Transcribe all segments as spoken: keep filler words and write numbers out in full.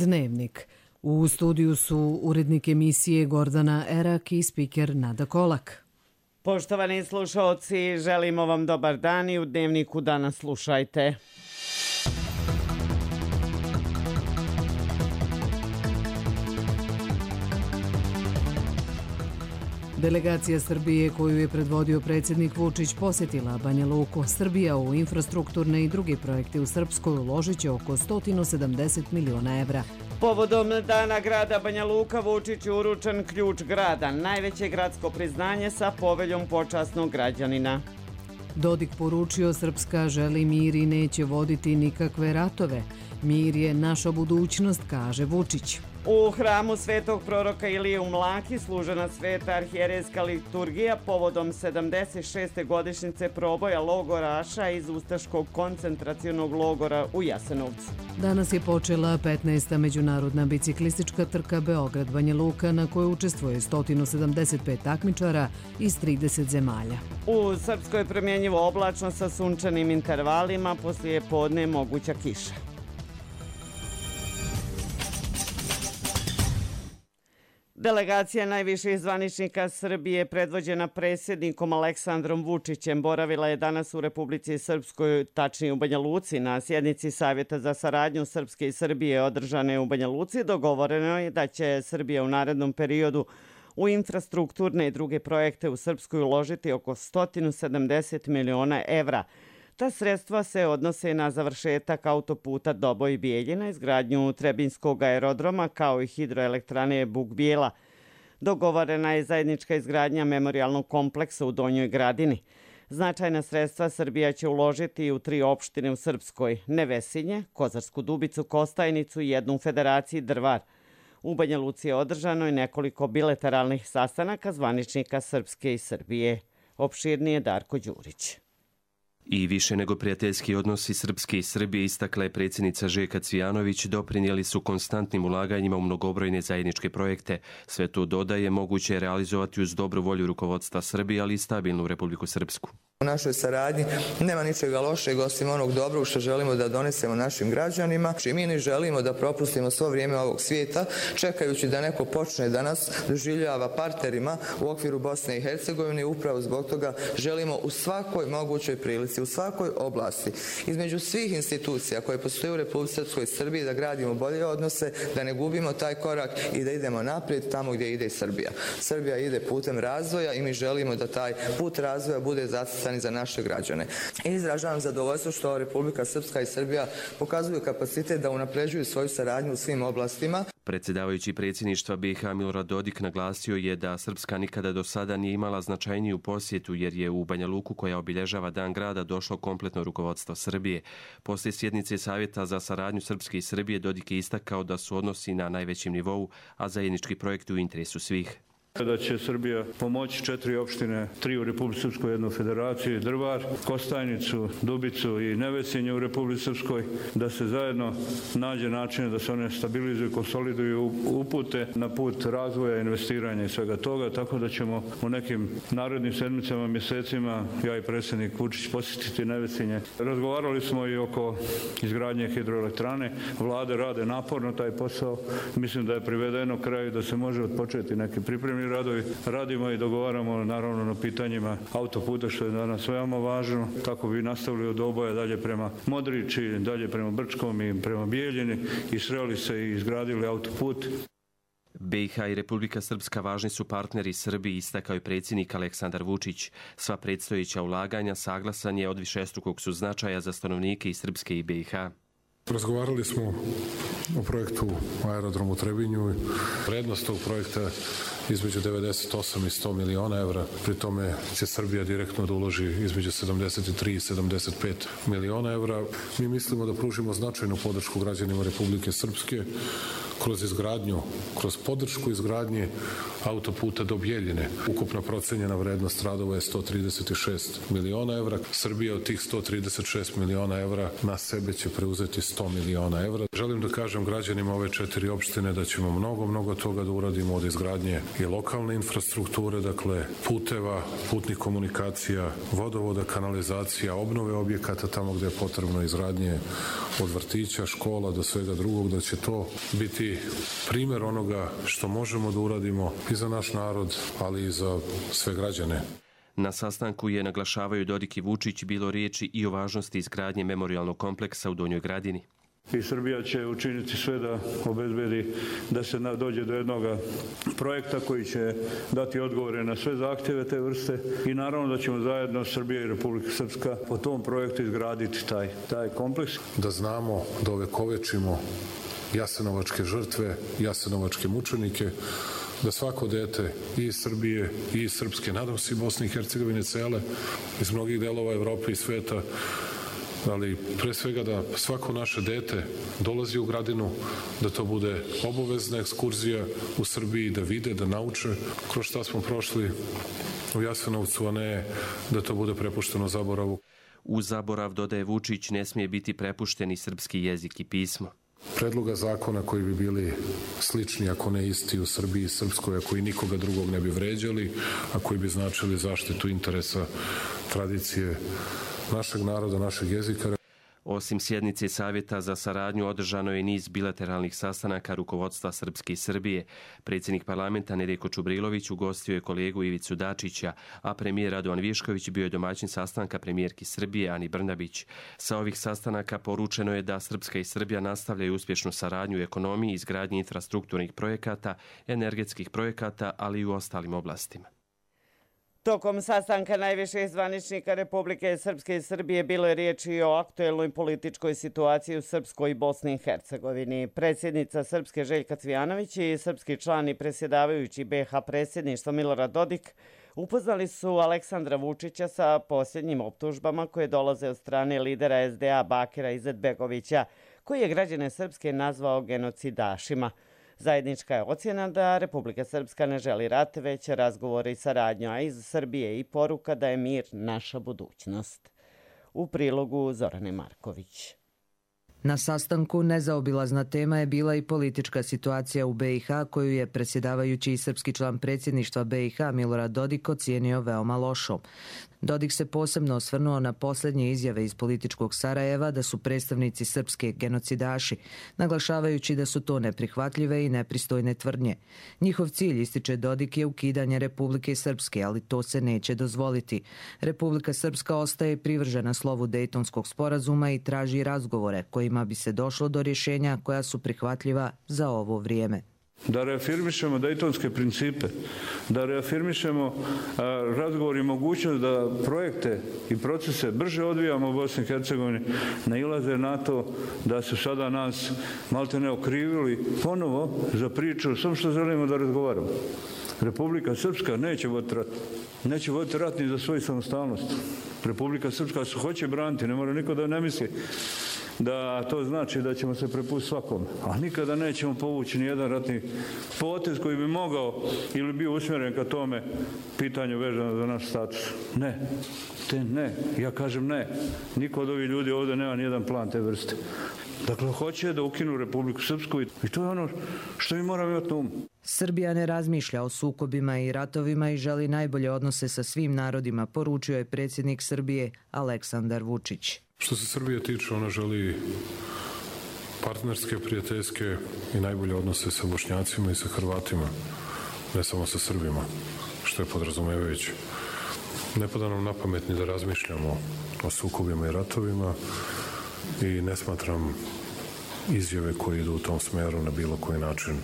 Dnevnik. U studiju su urednik emisije Gordana Erak i spiker Nada Kolak. Poštovani slušalci, želimo vam dobar dan i u Dnevniku danas slušajte. Delegacija Srbije koju je predvodio predsjednik Vučić posjetila Banja Luku. Srbija u infrastrukturne i druge projekte u Srpskoj uložit će oko sto sedamdeset miliona evra. Povodom Dana grada Banja Luka Vučić je uručen ključ grada, najveće gradsko priznanje sa poveljom počasnog građanina. Dodik poručio Srpska želi mir i neće voditi nikakve ratove. Mir je naša budućnost, kaže Vučić. U hramu svetog proroka Ilije u Mlaki služena sveta arhijerejska liturgija povodom sedamdeset šeste godišnjice proboja logoraša iz ustaškog koncentracionog logora u Jasenovcu. Danas je počela petnaesta međunarodna biciklistička trka Beograd-Banja Luka na kojoj učestvuje sto sedamdeset pet takmičara iz trideset zemalja. U Srpskoj promjenjivo oblačno sa sunčanim intervalima, poslije podne moguća kiša. Delegacija najviših zvaničnika Srbije predvođena predsjednikom Aleksandrom Vučićem boravila je danas u Republici Srpskoj, tačnije u Banja Luci. Na sjednici Savjeta za saradnju Srpske i Srbije održane u Banja Luci dogovoreno je da će Srbija u narednom periodu u infrastrukturne i druge projekte u Srpskoj uložiti oko sto sedamdeset miliona evra. Ta sredstva se odnose na završetak autoputa Doboj-Bijeljina, izgradnju Trebinskog aerodroma kao i hidroelektrane Buk-Bijela. Dogovorena je zajednička izgradnja memorijalnog kompleksa u Donjoj Gradini. Značajna sredstva Srbija će uložiti i u tri opštine u Srpskoj: Nevesinje, Kozarsku Dubicu, Kostajnicu i jednu u Federaciji Drvar. U Banja Luci je održano i nekoliko bilateralnih sastanaka zvaničnika Srpske i Srbije. Opširnije Darko Đurić. I više nego prijateljski odnosi Srpske i Srbije, istakla je predsjednica Željka Cvijanović, doprinijeli su konstantnim ulaganjima u mnogobrojne zajedničke projekte. Sve to, dodaje, moguće je realizovati uz dobru volju rukovodstva Srbije, ali i stabilnu Republiku Srpsku. U našoj saradnji nema ničega lošeg osim onog dobrog što želimo da donesemo našim građanima. I mi ne želimo da propustimo svo vrijeme ovog svijeta čekajući da neko počne da nas doživljava partnerima u okviru Bosne i Hercegovine. Upravo zbog toga želimo u svakoj mogućoj prilici, u svakoj oblasti, između svih institucija koje postoje u Republici Srpskoj i Srbiji, da gradimo bolje odnose, da ne gubimo taj korak i da idemo naprijed tamo gdje ide i Srbija. Srbija ide putem razvoja i mi želimo da taj put razvoja bude zacrtan za naše građane. Izražavam zadovoljstvo što Republika Srpska i Srbija pokazuju kapacitet da unapređuju svoju saradnju u svim oblastima. Predsjedavajući predsjedništva B i H Milorad Dodik naglasio je da Srpska nikada do sada nije imala značajniju posjetu, jer je u Banja Luku, koja obilježava Dan grada, došlo kompletno rukovodstvo Srbije. Poslije sjednice Savjeta za saradnju Srpske i Srbije Dodik je istakao da su odnosi na najvećem nivou, a zajednički projekti u interesu svih. Da će Srbija pomoći četiri opštine, tri u Republici Srpskoj, jednu u Federaciji Drvar, Kostajnicu, Dubicu i Nevesinje u Republici Srpskoj, da se zajedno nađe načine da se one stabilizuju, konsoliduju, upute na put razvoja, investiranja i svega toga, tako da ćemo u nekim narednim sedmicama, mjesecima, ja i predsjednik Vučić, posjetiti Nevesinje. Razgovarali smo i oko izgradnje hidroelektrane. Vlade rade naporno taj posao. Mislim da je privedeno kraju, da se može odpočeti neki pripremni radovi. Radimo i dogovaramo naravno na pitanjima autoputa, što je danas veoma važno, kako bi nastavili od Doboja dalje prema Modriči, dalje prema Brčkom i prema Bijeljini i sreli se i izgradili autoput. B i H i Republika Srpska važni su partneri Srbiji, istakao je predsjednik Aleksandar Vučić. Sva predstojeća ulaganja saglasan je od višestrukog su značaja za stanovnike i Srpske i B i H. Razgovarali smo o projektu aerodromu u Trebinju. Vrednost tog projekta između devedeset osam i sto miliona evra. Pri tome će Srbija direktno da uloži između sedamdeset tri i sedamdeset pet miliona evra. Mi mislimo da pružimo značajnu podršku građanima Republike Srpske kroz izgradnju, kroz podršku izgradnje autoputa do Bjeljine. Ukupna procenjena vrednost radova je sto trideset šest miliona evra. Srbija od tih sto trideset šest miliona evra na sebe će preuzeti sto miliona evra. Želim da kažem građanima ove četiri opštine da ćemo mnogo, mnogo toga da uradimo od izgradnje i lokalne infrastrukture, dakle puteva, putnih komunikacija, vodovoda, kanalizacija, obnove objekata tamo gde je potrebno izgradnje od vrtića, škola do svega drugog, da će to biti primer onoga što možemo da uradimo i za naš narod, ali i za sve građane. Na sastanku je, naglašavaju Dodik i Vučić, bilo riječi i o važnosti izgradnje memorijalnog kompleksa u Donjoj Gradini. I Srbija će učiniti sve da obezbedi da se dođe do jednog projekta koji će dati odgovore na sve zahtjeve te vrste i naravno da ćemo zajedno Srbija i Republika Srpska po tom projektu izgraditi taj, taj kompleks. Da znamo, da ovekovečimo jasenovačke žrtve, jasenovačke mučenike, da svako dete i iz Srbije i iz Srpske, nadam se i Bosne i Hercegovine cele, iz mnogih delova Evrope i sveta, ali pre svega da svako naše dete dolazi u Gradinu, da to bude obavezna ekskurzija u Srbiji, da vide, da nauče kroz šta smo prošli u Jasenovcu, a ne da to bude prepušteno zaboravu. U zaborav, dodaje Vučić, ne smije biti prepušteni srpski jezik i pismo. Predloga zakona koji bi bili slični, ako ne isti, u Srbiji i Srpskoj, a koji nikoga drugog ne bi vređali, a koji bi značili zaštitu interesa, tradicije našeg naroda, našeg jezika. Osim sjednice Savjeta za saradnju, održano je niz bilateralnih sastanaka rukovodstva Srpske i Srbije. Predsjednik parlamenta Nedjeljko Čubrilović ugostio je kolegu Ivicu Dačića, a premijer Radovan Višković bio je domaćin sastanka premijerki Srbije Ani Brnabić. Sa ovih sastanaka poručeno je da Srpska i Srbija nastavljaju uspješnu saradnju u ekonomiji, izgradnji infrastrukturnih projekata, energetskih projekata, ali i u ostalim oblastima. Tokom sastanka najviših zvaničnika Republike Srpske i Srbije bilo je riječi o aktuelnoj političkoj situaciji u Srpskoj i Bosni i Hercegovini. Predsjednica Srpske Željka Cvijanović i srpski član i predsjedavajući B iH predsjedništva Milorad Dodik upoznali su Aleksandra Vučića sa posljednjim optužbama koje dolaze od strane lidera es de a Bakira Izetbegovića, koji je građane Srpske nazvao genocidašima. Zajednička je ocjena da Republika Srpska ne želi rat, već razgovore i saradnju, a iz Srbije i poruka da je mir naša budućnost. U prilogu Zorane Marković. Na sastanku nezaobilazna tema je bila i politička situacija u be i ha, koju je predsjedavajući i srpski član predsjedništva be i ha Milorad Dodik ocijenio veoma lošom. Dodik se posebno osvrnuo na posljednje izjave iz političkog Sarajeva da su predstavnici Srpske genocidaši, naglašavajući da su to neprihvatljive i nepristojne tvrdnje. Njihov cilj, ističe Dodik, je ukidanje Republike Srpske, ali to se neće dozvoliti. Republika Srpska ostaje privržena slovu Dejtonskog sporazuma i traži razgovore kojima bi se došlo do rješenja koja su prihvatljiva za ovo vrijeme. Da reafirmišemo dejtonske principe, da reafirmišemo a, razgovor i mogućnost da projekte i procese brže odvijamo u Bosni i Hercegovini, nailaze na to da su sada nas malte ne okrivili ponovo za priču, samo što želimo da razgovaramo. Republika Srpska neće voditi rat. Neće voditi rat ni za svoju samostalnost. Republika Srpska se hoće braniti, ne mora niko da ne misli da to znači da ćemo se prepustiti svakome. A nikada nećemo povući ni jedan ratni potez koji bi mogao ili bio usmjeren ka tome pitanju vezano za naš status. Ne. Te ne. Ja kažem ne. Niko od ovih ljudi ovdje nema ni jedan plan te vrste. Dakle, hoće da ukinu Republiku Srpsku i to je ono što mi moramo imati na umu. Srbija ne razmišlja o sukobima i ratovima i želi najbolje odnose sa svim narodima, poručio je predsjednik Srbije Aleksandar Vučić. Što se Srbije tiče, ona želi partnerske, prijateljske i najbolje odnose sa Bošnjacima i sa Hrvatima, ne samo sa Srbima, što je podrazumevajuće. Ne pada nam na pamet ni da razmišljamo o sukobima i ratovima i ne smatram izjave koje idu u tom smeru na bilo koji način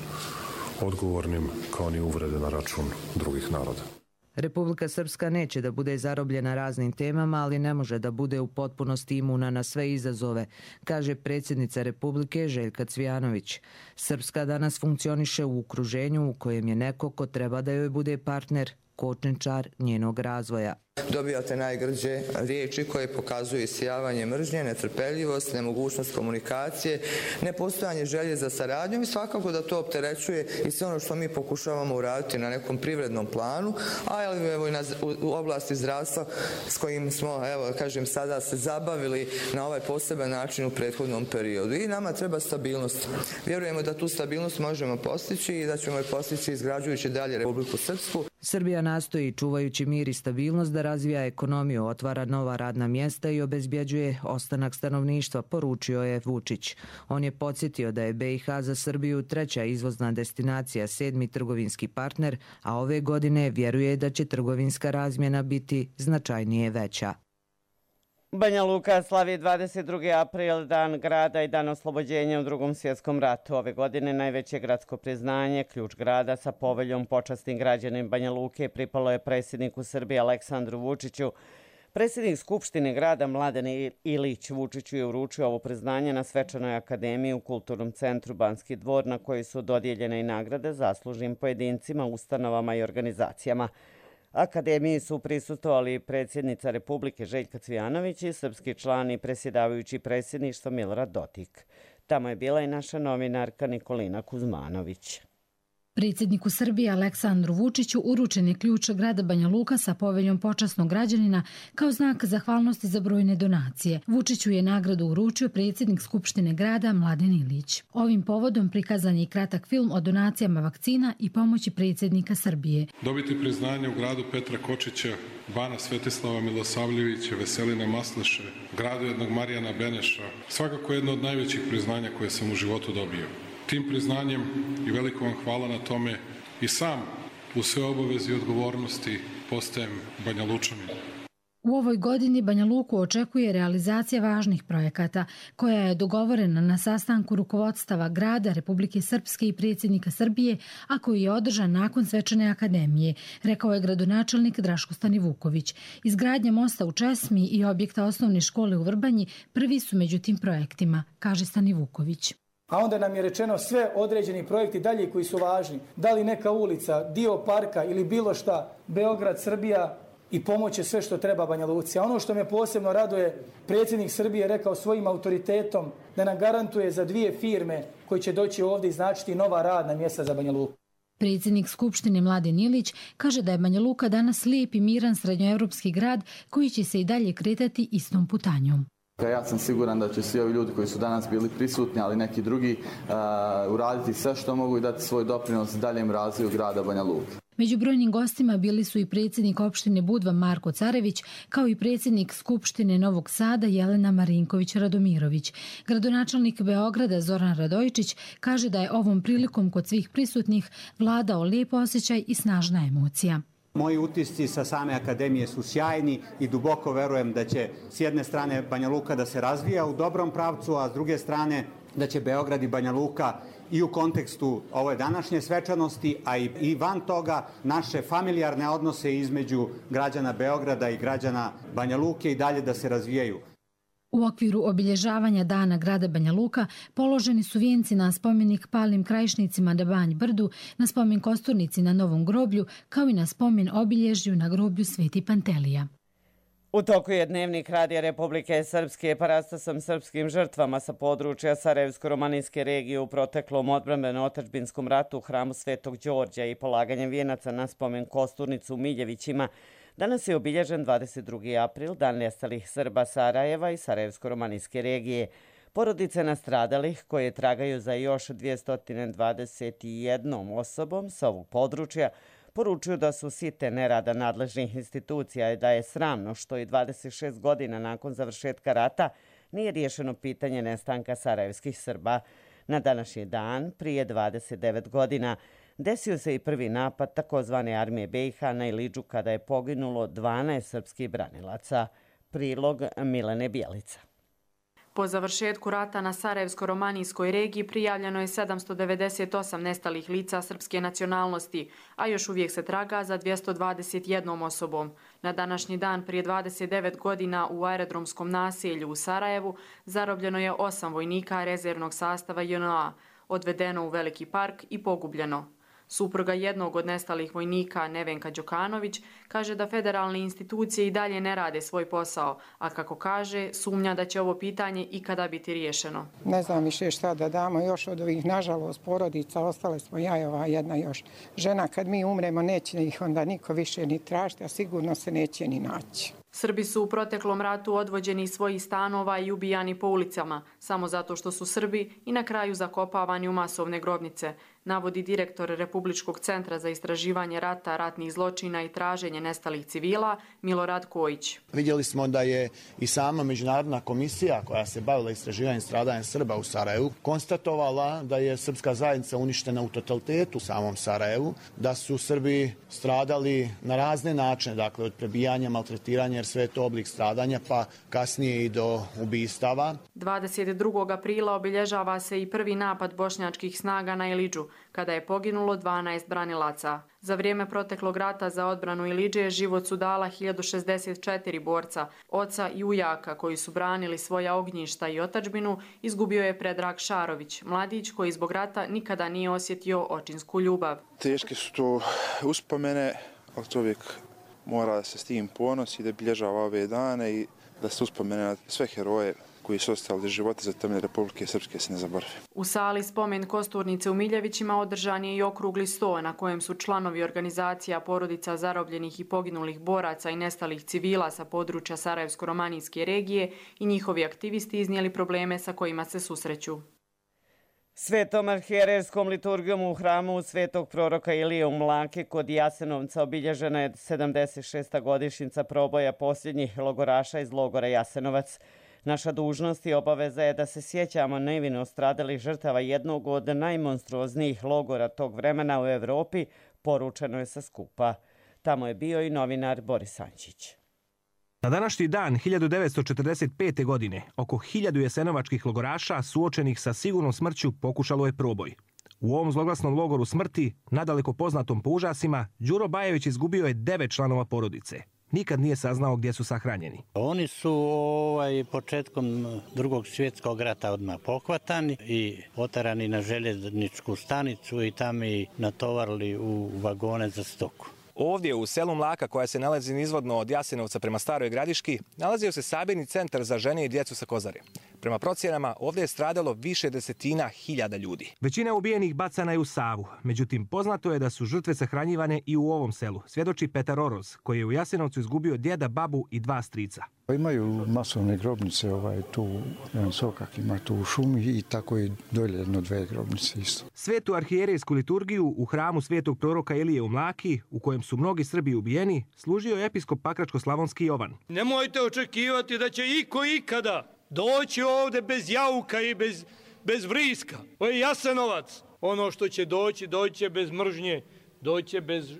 odgovornim, kao ni uvrede na račun drugih naroda. Republika Srpska neće da bude zarobljena raznim temama, ali ne može da bude u potpunosti imuna na sve izazove, kaže predsjednica Republike Željka Cvijanović. Srpska danas funkcioniše u okruženju u kojem je neko ko treba da joj bude partner kočničar njenog razvoja. Dobijate najgrđe riječi koje pokazuju isijavanje mržnje, netrpeljivost, nemogućnost komunikacije, nepostojanje želje za saradnjom i svakako da to opterećuje i sve ono što mi pokušavamo uraditi na nekom privrednom planu, a evo i na, u, u oblasti zdravstva s kojim smo, evo kažem, sada se zabavili na ovaj poseban način u prethodnom periodu. I nama treba stabilnost. Vjerujemo da tu stabilnost možemo postići i da ćemo je postići izgrađujući dalje Republiku Srpsku. Srbija nastoji, čuvajući mir i stabilnost, da razvija ekonomiju, otvara nova radna mjesta i obezbjeđuje ostanak stanovništva, poručio je Vučić. On je podsjetio da je B i H za Srbiju treća izvozna destinacija, sedmi trgovinski partner, a ove godine vjeruje da će trgovinska razmjena biti značajnije veća. Banja Luka slavi dvadeset drugi april, dan grada i dan oslobođenja u Drugom svjetskom ratu. Ove godine najveće gradsko priznanje, ključ grada sa poveljom počasnim građanin Banja Luke, pripalo je predsjedniku Srbije Aleksandru Vučiću. Predsjednik Skupštine grada Mladen Ilić Vučiću je uručio ovo priznanje na svečanoj akademiji u Kulturnom centru Banski dvor, na kojoj su dodijeljene i nagrade zaslužnim pojedincima, ustanovama i organizacijama. Akademiji su prisustvovali predsjednica Republike Željka Cvijanović i srpski član i predsjedavajući predsjedništva Milorad Dodik. Tamo je bila i naša novinarka Nikolina Kuzmanović. Predsjedniku Srbije Aleksandru Vučiću uručen je ključ grada Banja Luka sa poveljom počasnog građanina kao znak zahvalnosti za brojne donacije. Vučiću je nagradu uručio predsjednik Skupštine grada Mladen Ilić. Ovim povodom prikazan je i kratak film o donacijama vakcina i pomoći predsjednika Srbije. Dobiti priznanje u gradu Petra Kočića, Bana Svetislava Milosavljevića, Veselina Masleše, gradu jednog Marijana Beneša, svakako jedno od najvećih priznanja koje sam u životu dobio. Tim priznanjem i veliko vam hvala na tome i sam u sve obavezi i odgovornosti postajem Banja Lučanin. U ovoj godini Banja Luku očekuje realizacija važnih projekata koja je dogovorena na sastanku rukovodstava grada Republike Srpske i predsjednika Srbije, a koji je održan nakon svečane akademije, rekao je gradonačelnik Draško Stanivuković. Izgradnja mosta u Česmi i objekta osnovne škole u Vrbanji prvi su među tim projektima, kaže Stanivuković. A onda nam je rečeno sve određeni projekti dalje koji su važni. Da li neka ulica, dio parka ili bilo šta, Beograd, Srbija i pomoć je sve što treba Banja Luci. A ono što me posebno raduje, predsjednik Srbije rekao svojim autoritetom da nam garantuje za dvije firme koji će doći ovdje i značiti nova radna mjesta za Banja Luku. Predsjednik Skupštine Mladen Ilić kaže da je Banja Luka danas lijep i miran srednjoevropski grad koji će se i dalje kretati istom putanjom. Ja sam siguran da će svi ovi ljudi koji su danas bili prisutni, ali neki drugi, uh, uraditi sve što mogu i dati svoj doprinos daljem razvoju grada Banja Luke. Među brojnim gostima bili su i predsjednik opštine Budva Marko Carević, kao i predsjednik Skupštine Novog Sada Jelena Marinković-Radomirović. Gradonačelnik Beograda Zoran Radojičić kaže da je ovom prilikom kod svih prisutnih vladao lijep osjećaj i snažna emocija. Moji utisci sa same akademije su sjajni i duboko verujem da će s jedne strane Banja Luka da se razvija u dobrom pravcu, a s druge strane da će Beograd i Banja Luka i u kontekstu ove današnje svečanosti, a i van toga naše familijarne odnose između građana Beograda i građana Banja Luke i dalje da se razvijaju. U okviru obilježavanja dana grada Banja Luka položeni su vijenci na spomenik palnim krajišnicima na Banj Brdu, na spomen kosturnici na Novom groblju, kao i na spomen obilježju na groblju Sveti Pantelija. U toku je dnevnik Radija Republike Srpske parastasom srpskim žrtvama sa područja Sarajevsko-romanijske regije u proteklom odbrambeno-otadžbinskom ratu u hramu Svetog Đorđa i polaganjem vijenaca na spomen kosturnicu u Miljevićima. Danas je obilježen dvadeset drugi april, dan nestalih Srba Sarajeva i Sarajevsko-romanijske regije. Porodice nastradalih koje tragaju za još dvjesto dvadeset jednom osobom sa ovog područja poručuju da su site nerada nadležnih institucija i da je sramno što i dvadeset šest godina nakon završetka rata nije riješeno pitanje nestanka sarajevskih Srba. Na današnji dan, prije dvadeset devet godina, desio se i prvi napad takozvane armije B i H na Ilidžu kada je poginulo dvanaest srpskih branilaca. Prilog Milene Bjelica. Po završetku rata na Sarajevsko-romanijskoj regiji prijavljeno je sedamsto devedeset osam nestalih lica srpske nacionalnosti, a još uvijek se traga za dvjesto dvadeset jednom osobom. Na današnji dan prije dvadeset devet godina u aerodromskom naselju u Sarajevu zarobljeno je osam vojnika rezervnog sastava J N A, odvedeno u Veliki park i pogubljeno. Supruga jednog od nestalih vojnika, Nevenka Đokanović, kaže da federalne institucije i dalje ne rade svoj posao, a kako kaže, sumnja da će ovo pitanje ikada biti riješeno. Ne znam više šta da damo još od ovih, nažalost, porodica, ostale smo ja i ova jedna još žena. Kad mi umremo, neće ih onda niko više ni tražiti, a sigurno se neće ni naći. Srbi su u proteklom ratu odvođeni iz svojih stanova i ubijani po ulicama, samo zato što su Srbi i na kraju zakopavani u masovne grobnice, navodi direktor Republičkog centra za istraživanje rata, ratnih zločina i traženje nestalih civila, Milorad Kojić. Vidjeli smo da je i sama međunarodna komisija koja se bavila istraživanjem stradanja Srba u Sarajevu konstatovala da je srpska zajednica uništena u totalitetu u samom Sarajevu, da su Srbi stradali na razne načine, dakle od prebijanja, maltretiranja, jer sve je to oblik stradanja, pa kasnije i do ubistava. dvadeset drugog aprila obilježava se i prvi napad bošnjačkih snaga na Ilidžu, kada je poginulo dvanaest branilaca. Za vrijeme proteklog rata za odbranu Ilidže život su dala hiljadu šezdeset četiri borca, oca i ujaka koji su branili svoja ognjišta i otadžbinu, izgubio je Predrag Šarović, mladić koji zbog rata nikada nije osjetio očinsku ljubav. Teške su to uspomene, ali čovjek mora da se s tim ponosi, da bilježava ove dane i da se uspomene na sve heroje koji su ostali života za temelje Republike Srpske se ne zaborave. U sali Spomen Kosturnice u Miljevićima održan je i okrugli sto na kojem su članovi organizacija porodica zarobljenih i poginulih boraca i nestalih civila sa područja Sarajevsko-romanijske regije i njihovi aktivisti iznijeli probleme sa kojima se susreću. Svetom arhijerejskom liturgijom u hramu Svetog proroka Ilije u Mlaki kod Jasenovca obilježena je sedamdeset šesta godišnjica proboja posljednjih logoraša iz logora Jasenovac. Naša dužnost i obaveza je da se sjećamo nevino stradalih žrtava jednog od najmonstruoznijih logora tog vremena u Evropi, poručeno je sa skupa. Tamo je bio i novinar Boris Ančić. Na današnji dan hiljadu devetsto četrdeset pete. godine oko hiljadu jasenovačkih logoraša suočenih sa sigurnom smrću pokušalo je proboj. U ovom zloglasnom logoru smrti, nadaleko poznatom po užasima, Đuro Bajević izgubio je devet članova porodice. Nikad nije saznao gdje su sahranjeni. Oni su ovaj, početkom drugog svjetskog rata odmah pohvatani i otarani na željezničku stanicu i tamo i natovarili u vagone za stoku. Ovdje u selu Mlaka, koja se nalazi nizvodno od Jasenovca prema Staroj Gradiški, nalazio se sabirni centar za žene i djecu sa Kozare. Prema procjenama, ovdje je stradalo više desetina hiljada ljudi. Većina ubijenih bacana je u Savu. Međutim, poznato je da su žrtve sahranjivane i u ovom selu, svjedoči Petar Oroz, koji je u Jasenovcu izgubio djeda, babu i dva strica. Imaju masovne grobnice, ovaj, tu jedan sokak ima tu u šumi i tako i dolje jedno dve grobnice isto. Svetu arhijerejsku liturgiju u hramu Svetog proroka Ilije u Mlaki, u kojem su mnogi Srbi ubijeni, služio je episkop Pakračko-slavonski Jovan. Nemojte očekivati da će iko ikada doći ovdje bez jauka i bez, bez vriska. Ovo je Jasenovac. Ono što će doći, doće bez mržnje, doće bez,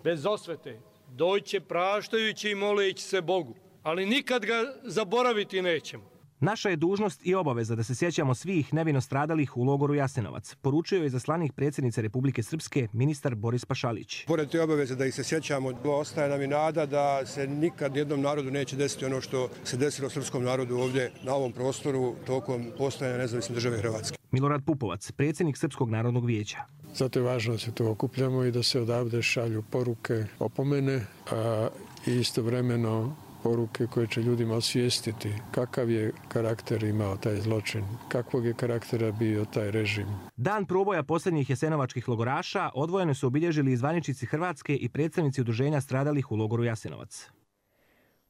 bez osvete, doće praštajući i moleći se Bogu. Ali nikad ga zaboraviti nećemo. Naša je dužnost i obaveza da se sjećamo svih nevino stradalih u logoru Jasenovac, poručio je izaslanik predsjednice Republike Srpske ministar Boris Pašalić. Pored te obaveze da ih se sjećamo, ostaje nam i nada da se nikad jednom narodu neće desiti ono što se desilo srpskom narodu ovdje na ovom prostoru tokom postojanja nezavisne države Hrvatske. Milorad Pupovac, predsjednik Srpskog narodnog vijeća. Zato je važno da se to okupljamo i da se odavde šalju poruke, opomene, a istovremeno poruke koje će ljudima osvijestiti kakav je karakter imao taj zločin, kakvog je karaktera bio taj režim. Dan proboja posljednjih jasenovačkih logoraša odvojeno su obilježili i zvaničnici Hrvatske i predstavnici udruženja stradalih u logoru Jasenovac.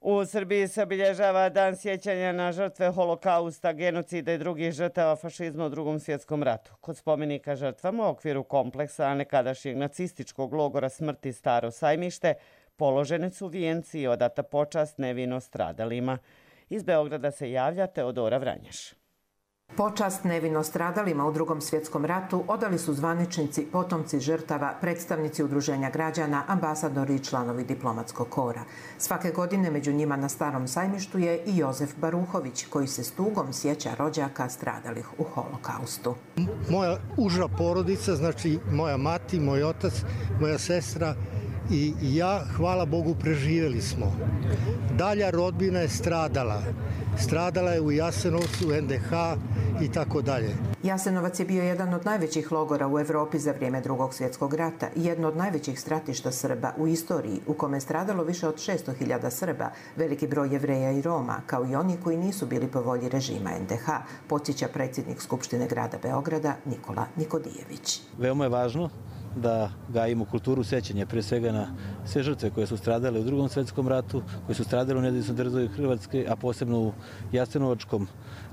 U Srbiji se obilježava Dan sjećanja na žrtve holokausta, genocida i drugih žrtava fašizma u Drugom svjetskom ratu. Kod spomenika žrtvama u okviru kompleksa nekadašnjeg nacističkog logora smrti Staro Sajmište položene su vijenci i odata počast nevino stradalima. Iz Beograda se javlja Teodora Vranjaš. Počast nevino stradalima u Drugom svjetskom ratu odali su zvaničnici, potomci žrtava, predstavnici udruženja građana, ambasadori i članovi diplomatskog kora. Svake godine među njima na Starom Sajmištu je i Jozef Baruhović, koji se s tugom sjeća rođaka stradalih u holokaustu. Moja uža porodica, znači moja mati, moj otac, moja sestra i ja, hvala Bogu, preživjeli smo. Dalja rodbina je stradala. Stradala je u Jasenovcu, en de ha i tako dalje. Jasenovac je bio jedan od najvećih logora u Evropi za vrijeme Drugog svjetskog rata i jedno od najvećih stratišta Srba u istoriji, u kome je stradalo više od šesto hiljada Srba, veliki broj Jevreja i Roma, kao i oni koji nisu bili po volji režima en de ha, podsjeća predsjednik Skupštine grada Beograda Nikola Nikodijević. Veoma je važno da gajimo kulturu sećanja, pre svega na sve žrtve koje su stradale u Drugom svjetskom ratu, koje su stradale u nezavisnoj državi Hrvatske, a posebno u Jasenovačkom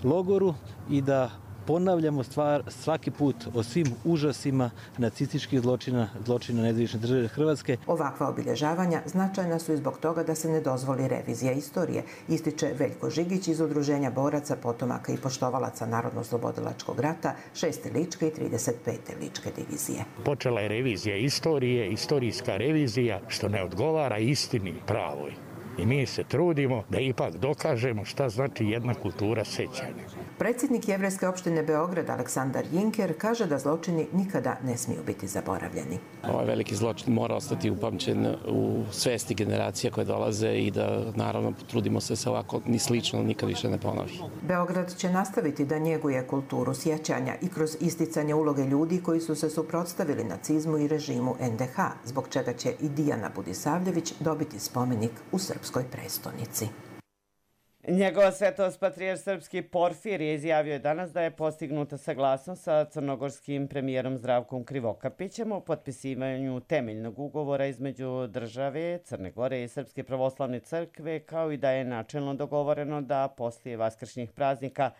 logoru, i da ponavljamo stvar svaki put o svim užasima nacističkih zločina, zločina nezavisne države Hrvatske. Ovakva obilježavanja značajna su i zbog toga da se ne dozvoli revizija istorije, ističe Veljko Žigić iz Udruženja boraca, potomaka i poštovalaca Narodno-oslobodilačkog rata, šeste ličke i trideset pete ličke divizije. Počela je revizija istorije, istorijska revizija, što ne odgovara istini pravoj. I mi se trudimo da ipak dokažemo šta znači jedna kultura sećanja. Predsjednik Jevrejske opštine Beograd Aleksandar Jinker kaže da zločini nikada ne smiju biti zaboravljeni. Ovaj veliki zločin mora ostati upamćen u svesti generacija koje dolaze i da naravno trudimo se se ovako ni slično nikad više ne ponovi. Beograd će nastaviti da njeguje kulturu sjećanja i kroz isticanje uloge ljudi koji su se suprotstavili nacizmu i režimu en de ha, zbog čega će i Dijana Budisavljević dobiti spomenik u srpskoj prestonici. Njegova svetost patrijarh srpski Porfirije izjavio je danas da je postignuta saglasnost sa crnogorskim premijerom Zdravkom Krivokapićem o potpisivanju temeljnog ugovora između države Crne Gore i Srpske pravoslavne crkve, kao i da je načelno dogovoreno da poslije vaskršnjih praznika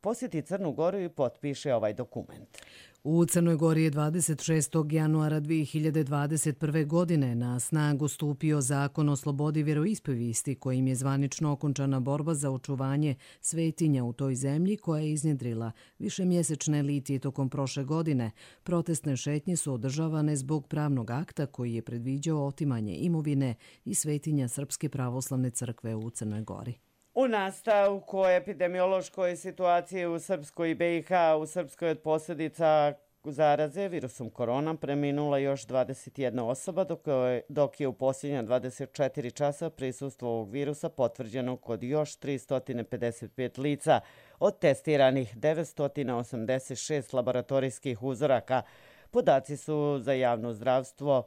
posjeti Crnu Goru i potpiše ovaj dokument. U Crnoj Gori je dvadeset šestog januara dvije hiljade dvadeset prve. godine na snagu stupio zakon o slobodi vjeroispovijesti, kojim je zvanično okončana borba za očuvanje svetinja u toj zemlji koja je iznjedrila višemjesečne litije tokom prošle godine. Protestne šetnje su održavane zbog pravnog akta koji je predviđao otimanje imovine i svetinja Srpske pravoslavne crkve u Crnoj Gori. U nastavku o epidemiološkoj situaciji u Srpskoj i be i ha, u Srpskoj od posljedica zaraze virusom korona preminula još dvadeset jedna osoba, dok je, dok je u posljednja dvadeset četiri časa prisustvo ovog virusa potvrđeno kod još tristo pedeset pet lica od testiranih devetsto osamdeset šest laboratorijskih uzoraka. Podaci su za javno zdravstvo.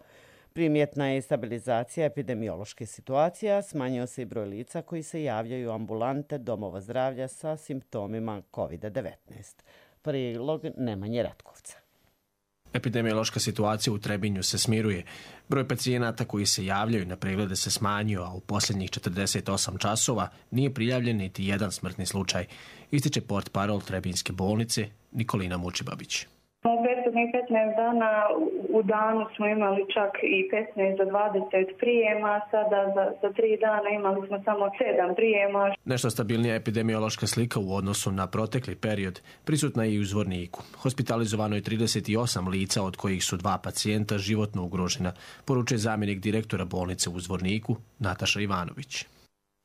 Primjetna je stabilizacija epidemiološke situacije, smanjio se i broj lica koji se javljaju u ambulante domova zdravlja sa simptomima kovid devetnaest. Prilog Nemanje Ratkovca. Epidemiološka situacija u Trebinju se smiruje. Broj pacijenata koji se javljaju na preglede se smanjio, a u posljednjih četrdeset osam časova nije prijavljen niti jedan smrtni slučaj, ističe portparol Trebinjske bolnice Nikolina Mučibabić. U prethodnih petnaest dana u danu smo imali čak i petnaest do dvadeset prijema, sada za, za tri dana imali smo samo sedam prijema. Nešto stabilnija epidemiološka slika u odnosu na protekli period prisutna je i u Zvorniku. Hospitalizovano je trideset osam lica, od kojih su dva pacijenta životno ugrožena, poručuje zamjenik direktora bolnice u Zvorniku Nataša Ivanović.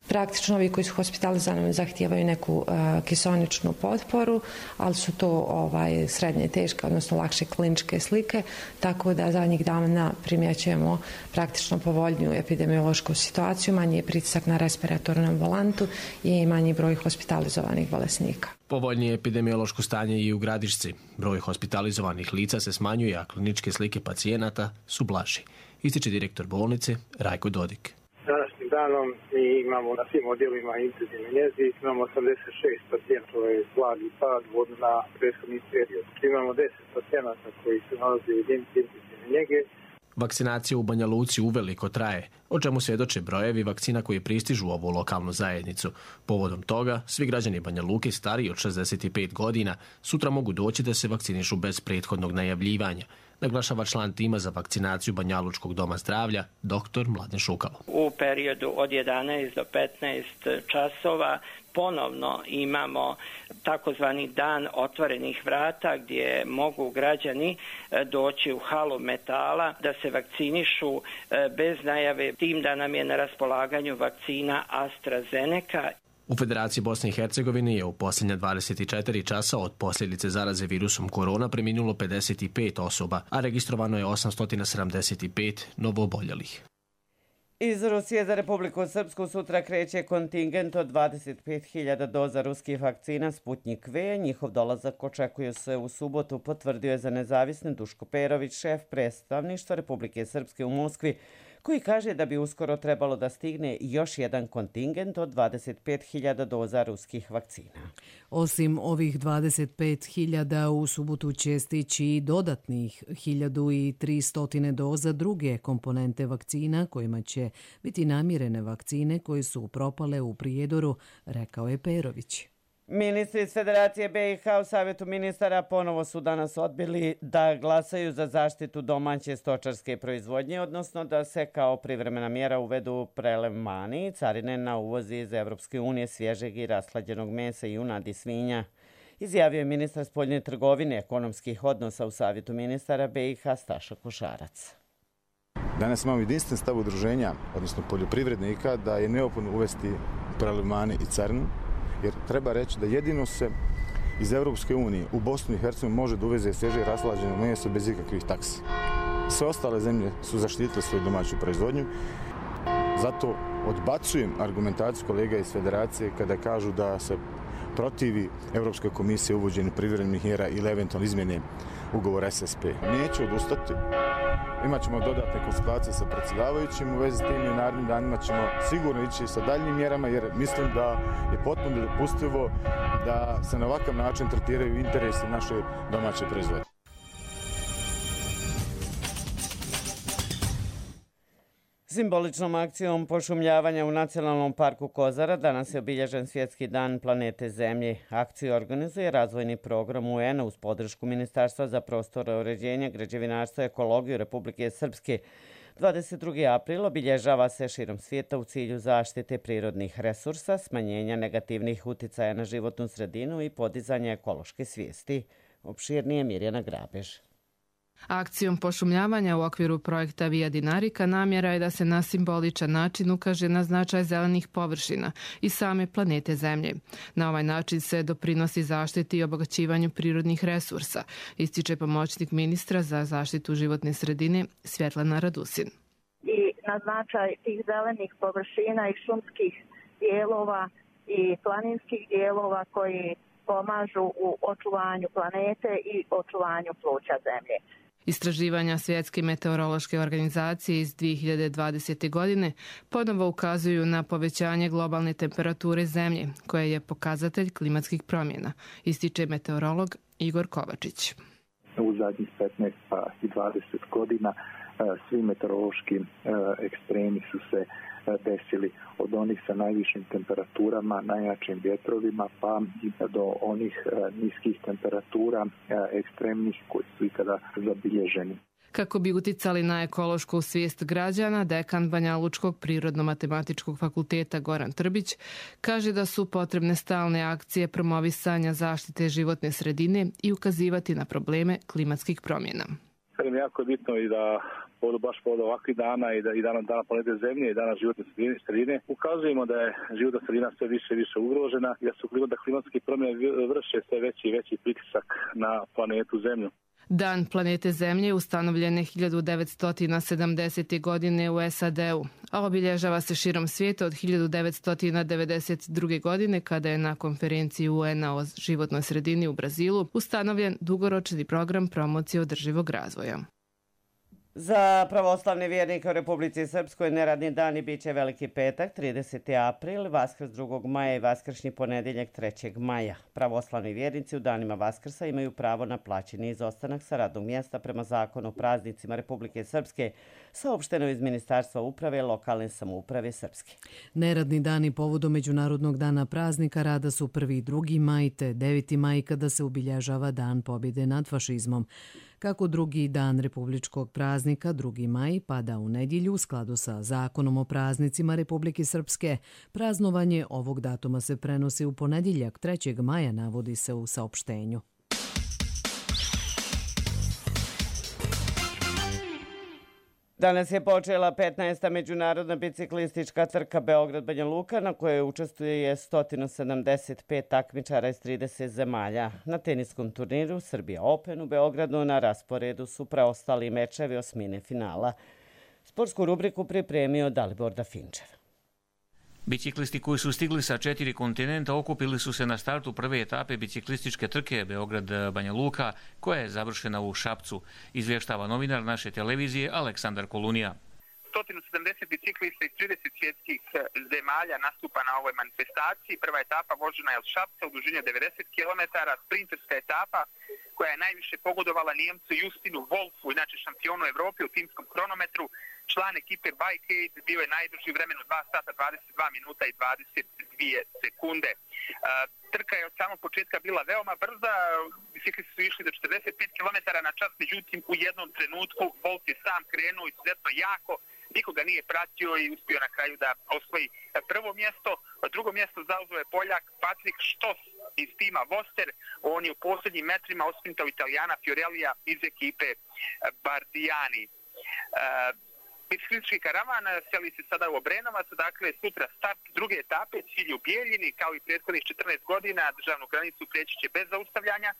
Praktično ovi koji su hospitalizovani zahtijevaju neku uh, kiseoničnu potporu, ali su to ovaj, srednje teške, odnosno lakše kliničke slike, tako da zadnjih dana primjećujemo praktično povoljniju epidemiološku situaciju, manji je pritisak na respiratornu ambulantu i manji broj hospitalizovanih bolesnika. Povoljnije epidemiološko stanje i u Gradišci. Broj hospitalizovanih lica se smanjuje, a kliničke slike pacijenata su blaži, ističe direktor bolnice Rajko Dodik. Današnjim danom mi imamo na svim odjelima intenzivne njezi, imamo osamdeset šest pacijenta, to je blagi pad u odnosu na prethodni period. Imamo deset pacijenata koji se nalaze u jedinici intenzivne njege. Vakcinacija u Banja Luci uveliko traje, o čemu svjedoče brojevi vakcina koje pristižu u ovu lokalnu zajednicu. Povodom toga, svi građani Banja Luke stariji od šezdeset pet godina sutra mogu doći da se vakcinišu bez prethodnog najavljivanja, naglašava član tima za vakcinaciju Banjalučkog doma zdravlja, doktor Mladen Šukalo. U periodu od jedanaest do petnaest časova ponovno imamo takozvani dan otvorenih vrata gdje mogu građani doći u halu metala da se vakcinišu bez najave, tim da nam je na raspolaganju vakcina AstraZeneca. U Federaciji Bosne i Hercegovine je u posljednja dvadeset četiri časa od posljedice zaraze virusom korona preminulo pedeset pet osoba, a registrovano je osamsto sedamdeset pet novooboljelih. Iz Rusije za Republiku Srpsku sutra kreće kontingent od dvadeset pet hiljada doza ruskih vakcina Sputnik V. Njihov dolazak očekuje se u subotu, potvrdio je za Nezavisne Duško Perović, šef predstavništva Republike Srpske u Moskvi, koji kaže da bi uskoro trebalo da stigne još jedan kontingent od dvadeset pet hiljada doza ruskih vakcina. Osim ovih dvadeset pet hiljada, u subotu će stići i dodatnih hiljadu tristo doza druge komponente vakcina kojima će biti namirene vakcine koje su propale u Prijedoru, rekao je Perović. Ministri iz Federacije B i H u Savjetu ministara ponovo su danas odbili da glasaju za zaštitu domaće stočarske proizvodnje, odnosno da se kao privremena mjera uvedu prelevmani i carine na uvoz iz Evropske unije svježeg i rashlađenog mesa i junadi i svinja. Izjavio je ministar spoljne trgovine ekonomskih odnosa u Savjetu ministara B i H Staša Košarac. Danas imamo jedinstven stav udruženja, odnosno poljoprivrednika, da je neophodno uvesti prelevmane i carinu, jer treba reći da jedino se iz Europske unije u Bosnu i Hercegovinu može da uveze svježe i rashlađeno meso bez ikakvih taksi. Sve ostale zemlje su zaštitile svoju domaću proizvodnju. Zato odbacujem argumentaciju kolega iz Federacije kada kažu da se protivi Europska komisija uvođenju privremenih mjera ili eventualno izmjene ugovora S S P. Neću odustati. Imaćemo dodatne konsultacije sa predsjedavajućim u vezi s tim i u narednim danima ćemo sigurno ići sa daljnjim mjerama, jer mislim da je potpuno dopustivo da se na ovakav način tretiraju interesi naše domaće proizvodnje. Simboličnom akcijom pošumljavanja u Nacionalnom parku Kozara danas je obilježen Svjetski dan planete Zemlje. Akciju organizuje razvojni program U N-a uz podršku Ministarstva za prostorno uređenje, građevinarstvo i ekologiju Republike Srpske. dvadeset drugi april obilježava se širom svijeta u cilju zaštite prirodnih resursa, smanjenja negativnih uticaja na životnu sredinu i podizanja ekološke svijesti. Opširnije Mirjana Grabež. Akcijom pošumljavanja u okviru projekta Via Dinarica namjera je da se na simboličan način ukaže na značaj zelenih površina i same planete Zemlje. Na ovaj način se doprinosi zaštiti i obogaćivanju prirodnih resursa, ističe pomoćnik ministra za zaštitu životne sredine Svjetlana Radusin. I na značaj tih zelenih površina i šumskih dijelova i planinskih dijelova koji pomažu u očuvanju planete i očuvanju pluća Zemlje. Istraživanja Svjetske meteorološke organizacije iz dvije hiljade dvadesete. godine ponovo ukazuju na povećanje globalne temperature Zemlje, koja je pokazatelj klimatskih promjena, ističe meteorolog Igor Kovačić. U zadnjih petnaest pa i dvadeset godina svi meteorološki ekstremi su se desili od onih sa najvišim temperaturama, najjačim vjetrovima, pa i do onih niskih temperatura ekstremnih koji su ikada zabilježeni. Kako bi uticali na ekološku svijest građana, dekan Banjalučkog prirodno-matematičkog fakulteta Goran Trbić kaže da su potrebne stalne akcije promovisanja zaštite životne sredine i ukazivati na probleme klimatskih promjena. Jako je bitno i da podu baš pod ovakvih dana i da i dana, dana planete Zemlje i dana životne sredine ukazujemo da je životna sredina sve više i više ugrožena i da su da klimatske promjene vrše sve veći i veći pritisak na planetu Zemlju. Dan planete Zemlje ustanovljen je hiljadu devetsto sedamdesete. godine u S A D-u, a obilježava se širom svijeta od hiljadu devetsto devedeset druge. godine kada je na konferenciji U N-a o životnoj sredini u Brazilu ustanovljen dugoročni program promocije održivog razvoja. Za pravoslavne vjernike u Republici Srpskoj neradni dani bit će Veliki petak, trideseti april, Vaskrs drugog maja i Vaskršnji ponedjeljak trećeg maja. Pravoslavni vjernici u danima Vaskrsa imaju pravo na plaćeni izostanak sa radnog mjesta prema zakonu o praznicima Republike Srpske, saopšteno iz Ministarstva uprave i lokalne samouprave Srpske. Neradni dani povodom Međunarodnog dana praznika rada su prvi i drugi maj te deveti maj kada se obilježava Dan pobjede nad fašizmom. Kako drugi dan republičkog praznika, drugi maj, pada u nedjelju u skladu sa zakonom o praznicima Republike Srpske, praznovanje ovog datuma se prenosi u ponedjeljak trećeg maja, navodi se u saopštenju. Danas je počela petnaesta međunarodna biciklistička trka Beograd-Banja Luka, na kojoj učestvuje sto sedamdeset pet takmičara iz trideset zemalja. Na teniskom turniru Srbija Open u Beogradu na rasporedu su preostali mečevi osmine finala. Sportsku rubriku pripremio Dalibor Dafinčev. Biciklisti koji su stigli sa četiri kontinenta okupili su se na startu prve etape biciklističke trke Beograd-Banja Luka, koja je završena u Šapcu, izvještava novinar naše televizije Aleksandar Kolunija. sto sedamdeset biciklista iz trideset svjetskih zemalja nastupa na ovoj manifestaciji. Prva etapa vožena je od Šapca u dužini devedeset kilometara, sprinterska etapa koja je najviše pogodovala Nijemcu Justinu Wolfu, inače šampionu Evrope u timskom kronometru. Član ekipe Bike Aid bio je najbrži u vremenu dva sata dvadeset dva minuta i dvadeset dvije sekunde. Trka je od samog početka bila veoma brza, biciklisti su išli do četrdeset pet kilometara na čas, međutim u jednom trenutku Wolf je sam krenuo izuzetno jako, nikoga nije pratio i uspio na kraju da osvoji prvo mjesto. Drugo mjesto zauzeo je Poljak Patrik Štos iz tima Voster. On je u posljednjim metrima osprintao Italijana Fiorellija iz ekipe Bardiani. Biciklistički karavan seli se sada u Obrenovac, dakle sutra start druge etape, cilj u Bijeljini, kao i prethodnih četrnaest godina, državnu granicu preći će bez zaustavljanja.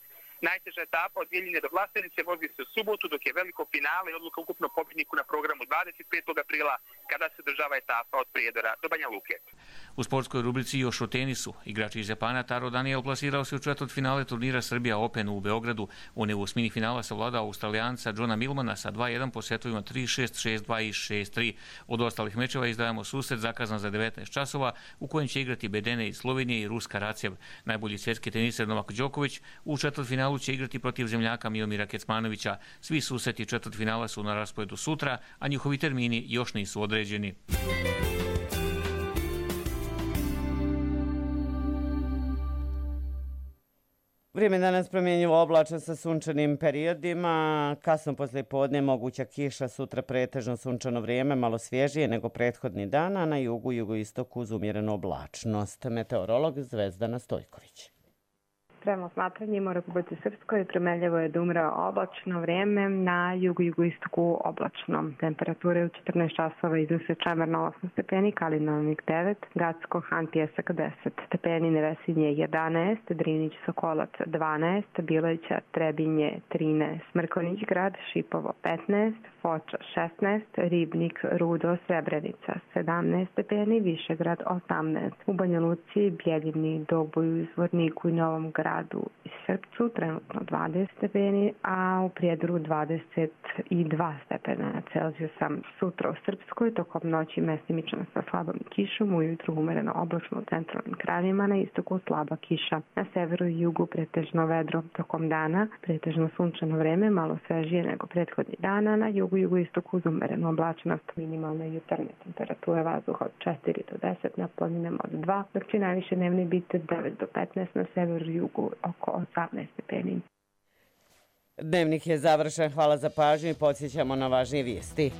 Najteža etapa od Bijeljine do Vlasenice vozi se u subotu, dok je veliko finale i odluka ukupno pobjedniku na programu dvadeset petog aprila, kada se država etapa od Prijedora do Banja Luke. U sportskoj rubrici još o tenisu. Igrač iz Japana Taro Daniel plasirao se u četvrtfinale turnira Srbija Open u Beogradu. On je u osmini finala savladao Australijanca Johna Millmana sa dva jedan po setovima tri šest, šest dva i šest tri. Od ostalih mečeva izdajemo susret zakazan za devetnaest časova, u kojem će igrati Bedene iz Slovenije i Ruska Racev. Najbolji svjetski teniser Novak Đoković u četvrtfinalu će igrati protiv zemljaka Miomira Kecmanovića. Svi susreti četvrtfinala su na rasporedu sutra, a njihovi termini još nisu određeni. Vrijeme danas promjenjivo oblačno sa sunčanim periodima. Kasno poslije podne moguća kiša, sutra pretežno sunčano vrijeme, malo svježije nego prethodni dan, a na jugu i jugoistoku uz umjerenu oblačnost. Meteorolog Zvezdana Stojković. Prema osmatranjima u Republici Srpskoj primeljivo je da umre oblačno vrijeme, na jugu i jugoistoku oblačno. Temperature u četrnaest časova iznose Čemerno osam stepeni, Kalinovnik devet, Gacko, Han, Pjesak deset stepeni, Nevesinje jedanaest, Drinić, Sokolac dvanaest, Bileća, Trebinje trinaest, Mrkonić grad, Šipovo petnaest, Foča šesnaest, Ribnik, Rudo, Srebrenica sedamnaest stepeni, Višegrad osamnaest. U Banja Luci, Bjeljini, Doboju, Zvorniku i Novom gradu i Srpcu trenutno dvadeset stepeni, a u Prijedoru dvadeset dva stepena Celzijusa. Sutra u Srpskoj tokom noći mestimično sa slabom kišom, ujutru umereno oblačno u centralnim krajevima, na istoku slaba kiša. Na severu i jugu pretežno vedro tokom dana, pretežno sunčano vreme, malo svežije nego prethodni dana, na jugu i jugoistoku uz umerenu oblačnost, minimalne jutarnje temperature vazduha od četiri do deset, na planinama od dva, dok će najviše dnevni biti devet do petnaest, na severu i jugu oko osamnaest stepeni. Dnevnik je završen. Hvala za pažnju i podsjećamo na važnije vijesti.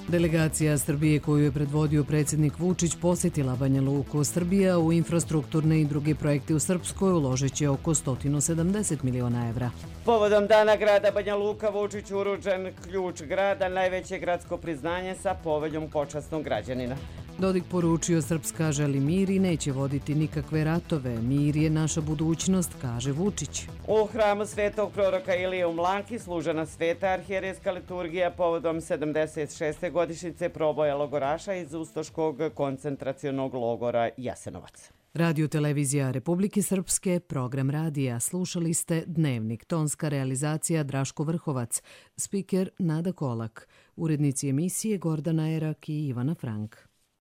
Delegacija Srbije koju je predvodio predsjednik Vučić posjetila Banja Luku. Srbija u infrastrukturne i druge projekte u Srpskoj uložit će oko sto sedamdeset miliona evra. Povodom dana grada Banja Luka Vučić uručen ključ grada, najveće gradsko priznanje sa poveljom počasnog građanina. Dodik poručio Srpska želi mir i neće voditi nikakve ratove. Mir je naša budućnost, kaže Vučić. U hramu svetog proroka Ilije u Mlanki služena sveta arhijerejska liturgija povodom sedamdeset šeste godišnjice proboja logoraša iz Ustoškog koncentracionog logora Jasenovac. Radio televizija Republike Srpske, program radija. Slušali ste Dnevnik, tonska realizacija Draško Vrhovac, spiker Nada Kolak, urednici emisije Gordana Erak i Ivana Frank.